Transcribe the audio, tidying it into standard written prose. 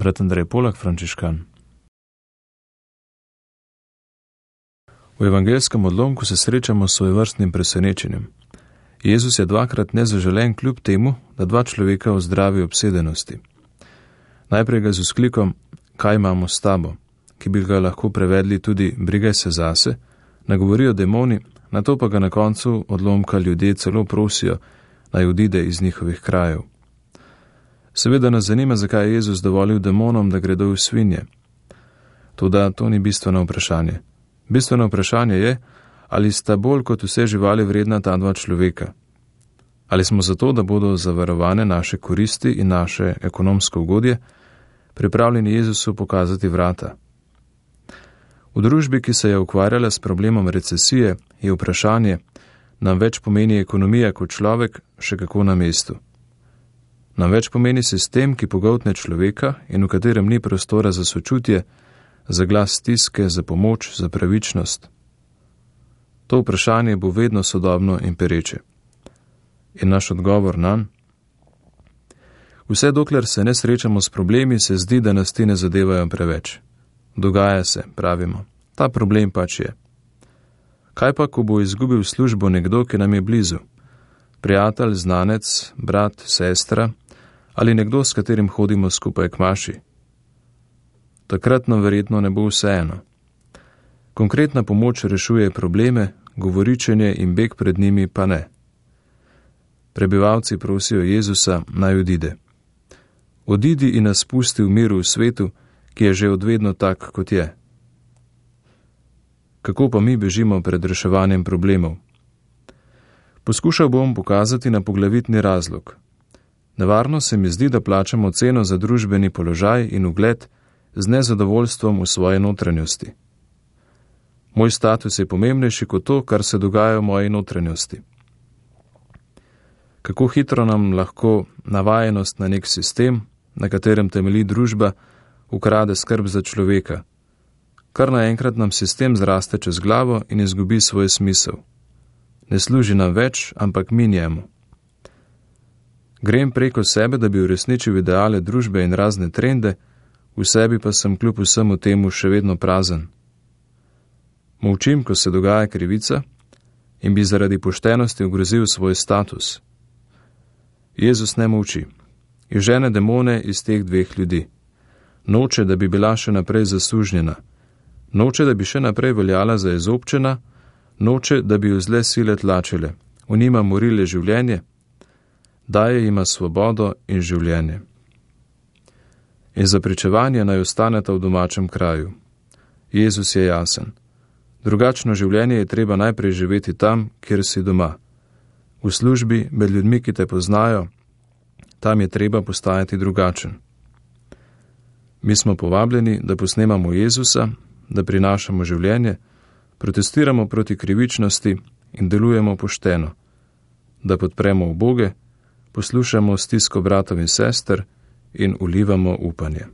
Brat Andrej Polak, frančiškan. V evangelskem odlomku se srečamo s svojevrstnim presenečenjem. Jezus je dvakrat nezaželen kljub temu, da dva človeka ozdravi obsedenosti. Najprej ga z vzklikom, kaj imamo s tabo, ki bi ga lahko prevedli tudi brigaj se zase, nagovorijo demoni, nato pa ga na koncu odlomka ljudje celo prosijo, naj odide iz njihovih krajev. Seveda nas zanima, zakaj je Jezus dovolil demonom, da gredo v svinje. Toda to ni bistveno vprašanje. Bistveno vprašanje je, ali sta bolj kot vse živali vredna ta dva človeka. Ali smo zato, da bodo zavarovane naše koristi in naše ekonomsko ugodje, pripravljeni Jezusu pokazati vrata. V družbi, ki se je ukvarjala s problemom recesije, je vprašanje, nam več pomeni ekonomija kot človek, še kako na mestu. Nam več pomeni sistem, ki pogoltne človeka in v katerem ni prostora za sočutje, za glas stiske, za pomoč, za pravičnost. To vprašanje bo vedno sodobno in pereče. In naš odgovor nanj? Vse dokler se ne srečamo s problemi, se zdi, da nas ti ne zadevajo preveč. Dogaja se, pravimo. Ta problem pač je. Kaj pa, ko bo izgubil službo nekdo, ki nam je blizu? Prijatelj, znanec, brat, sestra ali nekdo, s katerim hodimo skupaj k maši? Takrat nam verjetno ne bo vseeno. Konkretna pomoč rešuje probleme, govoričenje in beg pred njimi pa ne. Prebivalci prosijo Jezusa, naj odide. Odidi in nas pusti v miru v svetu, ki je že odvedno tak, kot je. Kako pa mi bežimo pred reševanjem problemov? Poskušal bom pokazati na poglavitni razlog. Nevarno se mi zdi, da plačamo ceno za družbeni položaj in ugled z nezadovoljstvom v svoje notranjosti. Moj status je pomembnejši kot to, kar se dogaja v moji notranjosti. Kako hitro nam lahko navajenost na nek sistem, na katerem temelji družba, ukrade skrb za človeka. Kar naenkrat nam sistem zraste čez glavo in izgubi svoj smisel. Ne služi nam več, ampak mi njemu. Grem preko sebe, da bi uresničil ideale družbe in razne trende, v sebi pa sem kljub vsemu temu še vedno prazen. Molčim, ko se dogaja krivica in bi zaradi poštenosti ogrozil svoj status. Jezus ne molči. Izžene demone iz teh dveh ljudi. Noče, da bi bila še naprej zasužnjena. Noče, da bi še naprej veljala za izobčena. Noče, da bi jo zle sile tlačile. V njima morile življenje. Daje jima svobodo in življenje. In za pričevanje naj ostaneta v domačem kraju. Jezus je jasen. Drugačno življenje je treba najprej živeti tam, kjer si doma. V službi, med ljudmi, ki te poznajo, tam je treba postajati drugačen. Mi smo povabljeni, da posnemamo Jezusa, da prinašamo življenje, protestiramo proti krivičnosti in delujemo pošteno, da podpremo uboge, poslušamo stisko bratov in sester in vlivamo upanje.